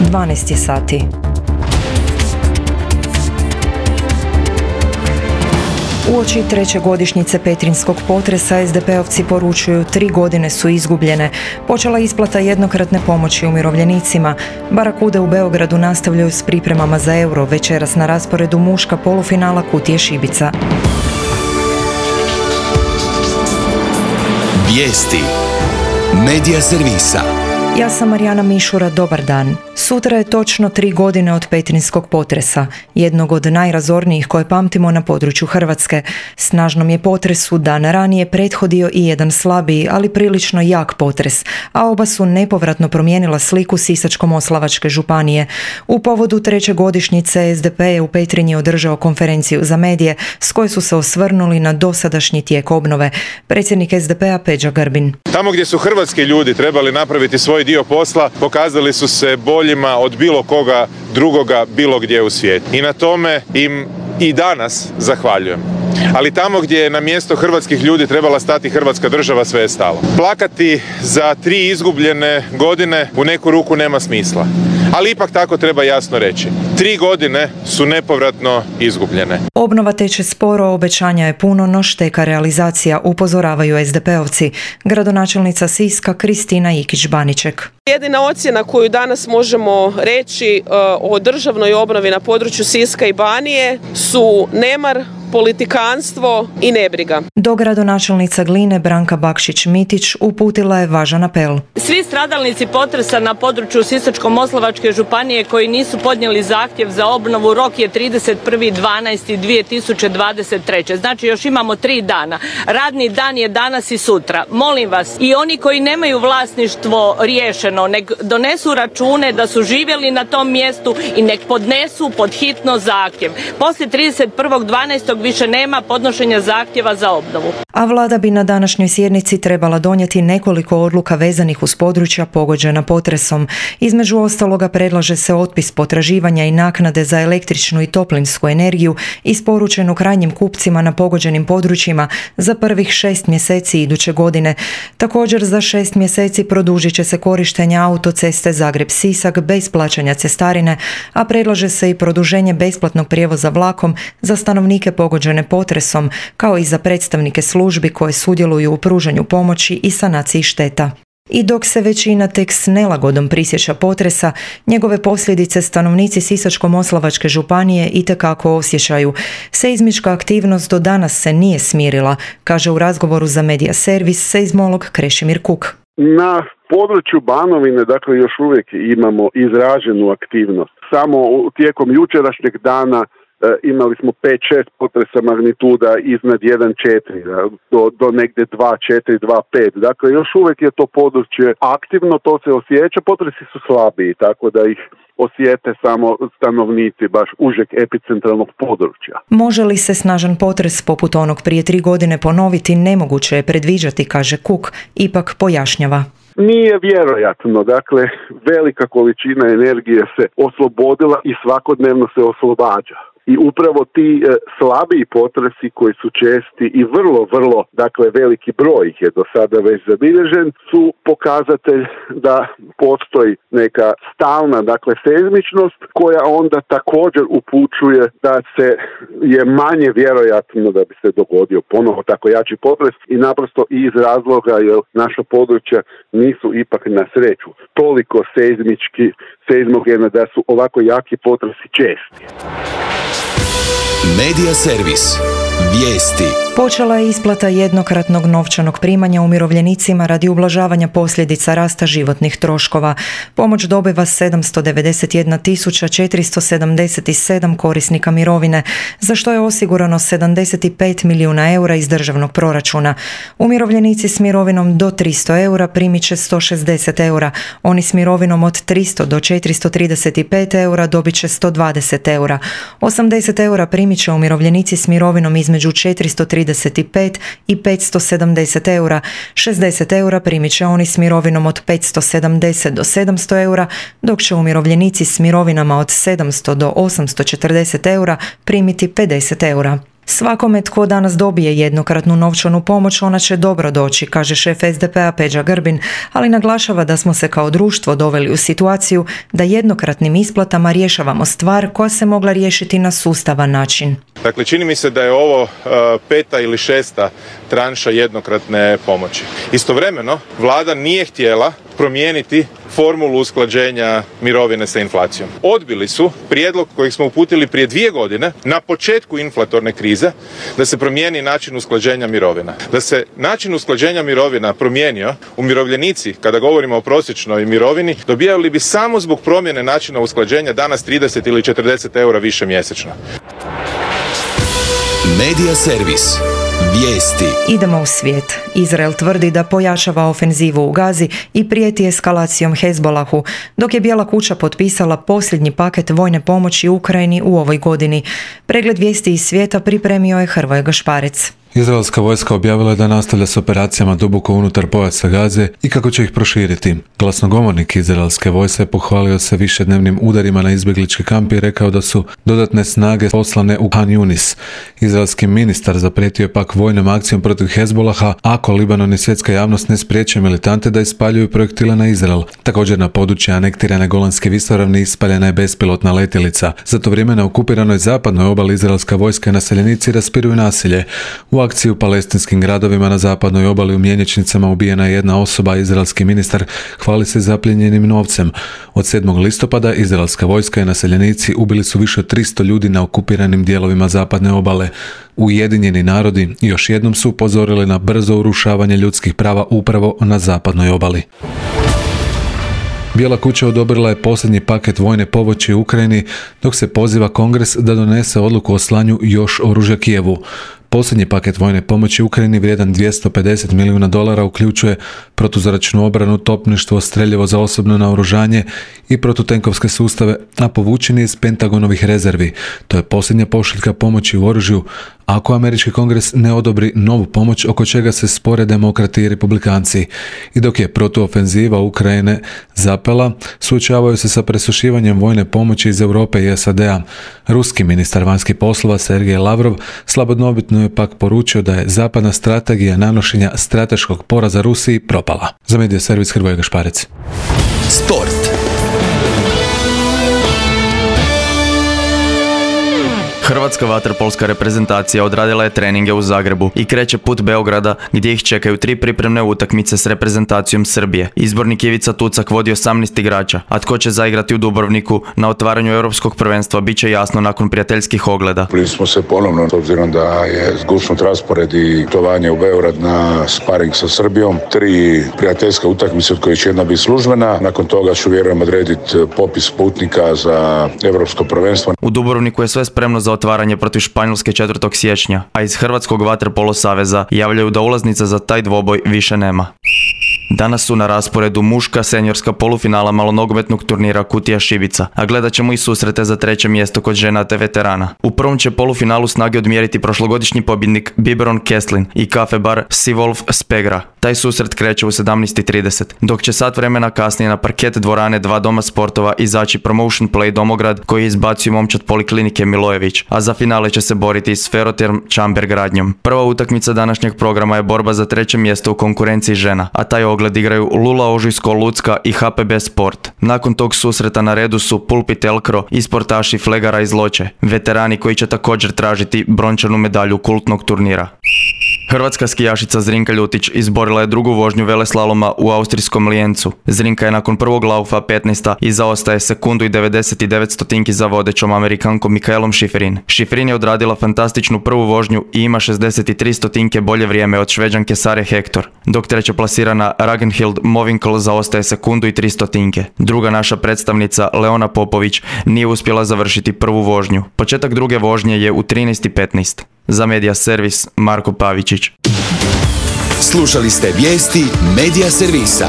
12 sati. Uoči treće godišnjice petrinjskog potresa SDP-ovci poručuju 3 godine su izgubljene. Počela isplata jednokratne pomoći umirovljenicima. Barakude u Beogradu nastavljaju s pripremama za euro. Večeras na rasporedu muška polufinala Kutije Šibica. Vijesti Medija servisa. Ja sam Marijana Mišura, dobar dan. Sutra je točno 3 godine od petrinjskog potresa, jednog od najrazornijih koje pamtimo na području Hrvatske. Snažnom je potresu dan ranije prethodio i jedan slabiji, ali prilično jak potres, a oba su nepovratno promijenila sliku Sisačko-moslavačke županije. U povodu treće godišnjice SDP je u Petrinji održao konferenciju za medije s koje su se osvrnuli na dosadašnji tijek obnove. Predsjednik SDP-a Peđa Grbin. Tamo gdje su hrvatski ljudi trebali napraviti svoj dio posla, pokazali su se boljima od bilo koga drugoga bilo gdje u svijetu. I na tome im i danas zahvaljujem. Ali tamo gdje je na mjesto hrvatskih ljudi trebala stati Hrvatska država, sve je stalo. Plakati za 3 izgubljene godine u neku ruku nema smisla. Ali ipak tako treba jasno reći. 3 godine su nepovratno izgubljene. Obnova teče sporo, obećanja je puno, no šteka realizacija, upozoravaju SDP-ovci. Gradonačelnica Siska Kristina Ikić-Baniček. Jedina ocjena koju danas možemo reći o državnoj obnovi na području Siska i Banije su nemar, politikanstvo i nebriga. Dogradonačelnica Gline Branka Bakšić-Mitić uputila je važan apel. Svi stradalnici potresa na području Sisačko-moslavačke županije koji nisu podnijeli zahtjev za obnovu, rok je 31.12.2023. Znači još imamo 3 dana. Radni dan je danas i sutra. Molim vas, i oni koji nemaju vlasništvo riješeno, nek donesu račune da su živjeli na tom mjestu i nek podnesu pod hitno zahtjev. Poslije 31.12. više nema podnošenja zahtjeva za obnovu. A vlada bi na današnjoj sjednici trebala donijeti nekoliko odluka vezanih uz područja pogođena potresom. Između ostaloga predlaže se otpis potraživanja i naknade za električnu i toplinsku energiju isporučenu krajnjim kupcima na pogođenim područjima za prvih 6 mjeseci iduće godine. Također za 6 mjeseci produžit će se korištenje autoceste Zagreb-Sisak bez plaćanja cestarine, a predlaže se i produženje besplatnog prijevoza vlakom za stanovnike pogođene potresom, kao i za predstavnike službi koje sudjeluju u pružanju pomoći i sanaciji šteta. I dok se većina tek s nelagodom prisjeća potresa, njegove posljedice stanovnici Sisačko-moslavačke županije itekako osjećaju. Seizmička aktivnost do danas se nije smirila, kaže u razgovoru za Medija servis seizmolog Krešimir Kuk. Na području Banovine, dakle, još uvijek imamo izraženu aktivnost. Samo tijekom jučerašnjeg dana imali smo 5-6 potresa magnituda iznad 1,4 do negdje 2,4, 2,5. Dakle, još uvijek je to područje aktivno, to se osjeća. Potresi su slabiji, tako da ih osjete samo stanovnici baš užeg epicentralnog područja. Može li se snažan potres poput onog prije 3 godine ponoviti, nemoguće je predviđati, kaže Kuk, ipak pojašnjava. Nije vjerojatno, dakle, velika količina energije se oslobodila i svakodnevno se oslobađa. I upravo ti slabiji potresi koji su česti i vrlo, dakle, veliki broj ih je do sada već zabilježen, su pokazatelj da postoji neka stalna, dakle, seizmičnost koja onda također upućuje da se je manje vjerojatno da bi se dogodio ponovo tako jači potres i naprosto iz razloga jer naša područja nisu ipak na sreću toliko seizmogena da su ovako jaki potresi česti. Medija servis. Vijesti. Počela je isplata jednokratnog novčanog primanja umirovljenicima radi ublažavanja posljedica rasta životnih troškova. Pomoć dobiva 791.477 korisnika mirovine, za što je osigurano 75 milijuna eura iz državnog proračuna. Umirovljenici s mirovinom do 300 eura primit će 160 eura, oni s mirovinom od 300 do 435 eura dobit će 120 eura. 80 eura primit će umirovljenici s mirovinom između 435 i 570 eura. 60 eura primit će oni s mirovinom od 570 do 700 eura, dok će umirovljenici s mirovinama od 700 do 840 eura primiti 50 eura. Svakome tko danas dobije jednokratnu novčanu pomoć, ona će dobro doći, kaže šef SDP-a Peđa Grbin, ali naglašava da smo se kao društvo doveli u situaciju da jednokratnim isplatama rješavamo stvar koja se mogla riješiti na sustavan način. Dakle, čini mi se da je ovo 5. ili 6. tranša jednokratne pomoći. Istovremeno, vlada nije htjela promijeniti formulu usklađenja mirovine sa inflacijom. Odbili su prijedlog kojeg smo uputili prije 2 godine na početku inflatorne krize da se promijeni način usklađenja mirovina. Da se način usklađenja mirovina promijenio, umirovljenici, kada govorimo o prosječnoj mirovini, dobijali bi samo zbog promjene načina usklađenja danas 30 ili 40 eura više mjesečno. Medija servis. Vijesti. Idemo u svijet. Izrael tvrdi da pojačava ofenzivu u Gazi i prijeti eskalacijom Hezbollahu, dok je Bijela kuća potpisala posljednji paket vojne pomoći Ukrajini u ovoj godini. Pregled vijesti iz svijeta pripremio je Hrvoje Gašparec. Izraelska vojska objavila je da nastavlja s operacijama duboko unutar pojasa Gaze i kako će ih proširiti. Glasnogovornik izraelske vojske pohvalio se višednevnim udarima na izbjeglički kamp i rekao da su dodatne snage poslane u Han Yunis. Izraelski ministar zaprijetio je pak vojnom akcijom protiv Hezbolaha ako Libanon i svjetska javnost ne spriječe militante da ispaljuju projektile na Izrael. Također na području anektirane Golanske visoravni ispaljena je bespilotna letjelica. Za to vrijeme na okupiranoj zapadnoj obali izraelska vojska i naseljenici raspiruju nasilje. U akciji u palestinskim gradovima na zapadnoj obali u mjenjačnicama ubijena je jedna osoba, izraelski ministar hvali se zapljenjenim novcem. Od 7. listopada izraelska vojska i naseljenici ubili su više od 300 ljudi na okupiranim dijelovima zapadne obale. Ujedinjeni narodi još jednom su upozorili na brzo urušavanje ljudskih prava upravo na zapadnoj obali. Bijela kuća odobrila je posljednji paket vojne pomoći Ukrajini, dok se poziva Kongres da donese odluku o slanju još oružja Kijevu. Posljednji paket vojne pomoći Ukrajini vrijedan $250 milijuna uključuje protuzračnu obranu, topništvo, streljivo za osobno naoružanje i protutenkovske sustave, a povučen je iz Pentagonovih rezervi. To je posljednja pošiljka pomoći u oružju, ako američki kongres ne odobri novu pomoć oko čega se spore demokrati i republikanci. I dok je protuofenziva Ukrajine zapela, suočavaju se sa presušivanjem vojne pomoći iz Europe i SAD-a. Ruski ministar vanjskih poslova Sergej Lavrov slabodobitno je pak poručio da je zapadna strategija nanošenja strateškog poraza Rusiji propala. Za Medija servis Hrvoje Gašparec. Sport. Hrvatska vaterpolska reprezentacija odradila je treninge u Zagrebu i kreće put Beograda gdje ih čekaju 3 pripremne utakmice s reprezentacijom Srbije. Izbornik Ivica Tucak vodi 18 igrača, a tko će zaigrati u Dubrovniku na otvaranju europskog prvenstva bit će jasno nakon prijateljskih ogleda. Bili smo se ponovno, s obzirom da je zgusnut raspored i putovanje u Beograd na sparing sa Srbijom. 3 prijateljska utakmice od kojih će jedna biti službena. Nakon toga ću vjerujem odrediti popis putnika za europsko prvenstvo. U Dubrovniku je sve spremno za otvaranje protiv Španjolske 4. siječnja, a iz Hrvatskog vaterpolo saveza javljaju da ulaznica za taj dvoboj više nema. Danas su na rasporedu muška seniorska polufinala malonogometnog turnira Kutija Šibica, a gledat ćemo i susrete za 3. mjesto kod žena te veterana. U prvom će polufinalu snage odmjeriti prošlogodišnji pobjednik Biberon Keslin i kafe bar Sivolf Spegra. Taj susret kreće u 17:30, dok će sat vremena kasnije na parket dvorane 2 doma sportova izaći Promotion Play Domograd koji izbacuju momčad poliklinike Milojević, a za finale će se boriti s Ferroterm Čamber Gradnjom. Prva utakmica današnjeg programa je borba za 3. mjesto u konkurenciji žena, a taj ogled igraju Lula Ožujsko Lucka i HPB Sport. Nakon tog susreta na redu su Pulpit Elkro i sportaši Flegara iz Loče, veterani koji će također tražiti brončanu medalju kultnog turnira. Hrvatska skijašica Zrinka Ljutić izborila je drugu vožnju veleslaloma u austrijskom Lijencu. Zrinka je nakon prvog laufa 15. i zaostaje sekundu i 99 stotinki za vodećom Amerikankom Mikaelom Šiferin. Šiferin je odradila fantastičnu prvu vožnju i ima 63 stotinke bolje vrijeme od Šveđanke Sare Hector, dok treća plasirana Ragnhild Movinkl zaostaje sekundu i 3 stotinke. Druga naša predstavnica Leona Popović nije uspjela završiti prvu vožnju. Početak druge vožnje je u 13:15. Za Medija servis Marko Pavičić. Slušali ste vijesti Medija servisa.